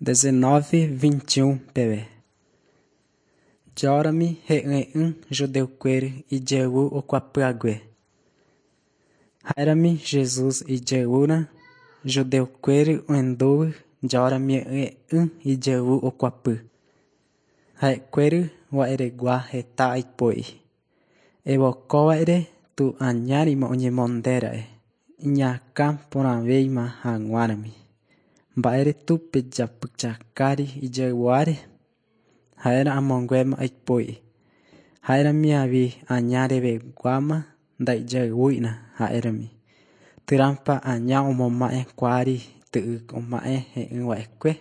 19, 21 peve. Jórami he'ỹe'ỹ judeukuéry ijayvu okuapyhague. Ha'érami Jesús ijayvúrã judeukuéry ohendúvy jórami he'ỹe'ỹ ijayvu okuapy. Ha'ekuéry wa'eregua heta aipo'i. Evokóva'ere tu añárima oñemondéra'e iñakãporãvéima hag̃uárami. Mba'éretu pejapychakári ijayvuáre? Ha'érã amonguéma aipo'i. Ha'érami avi aña reveguáma ndaijayvúina ha'érami. Térãpa aña omoma'ẽkuaári ty'y oma'ẽ he'ỹva'ekue.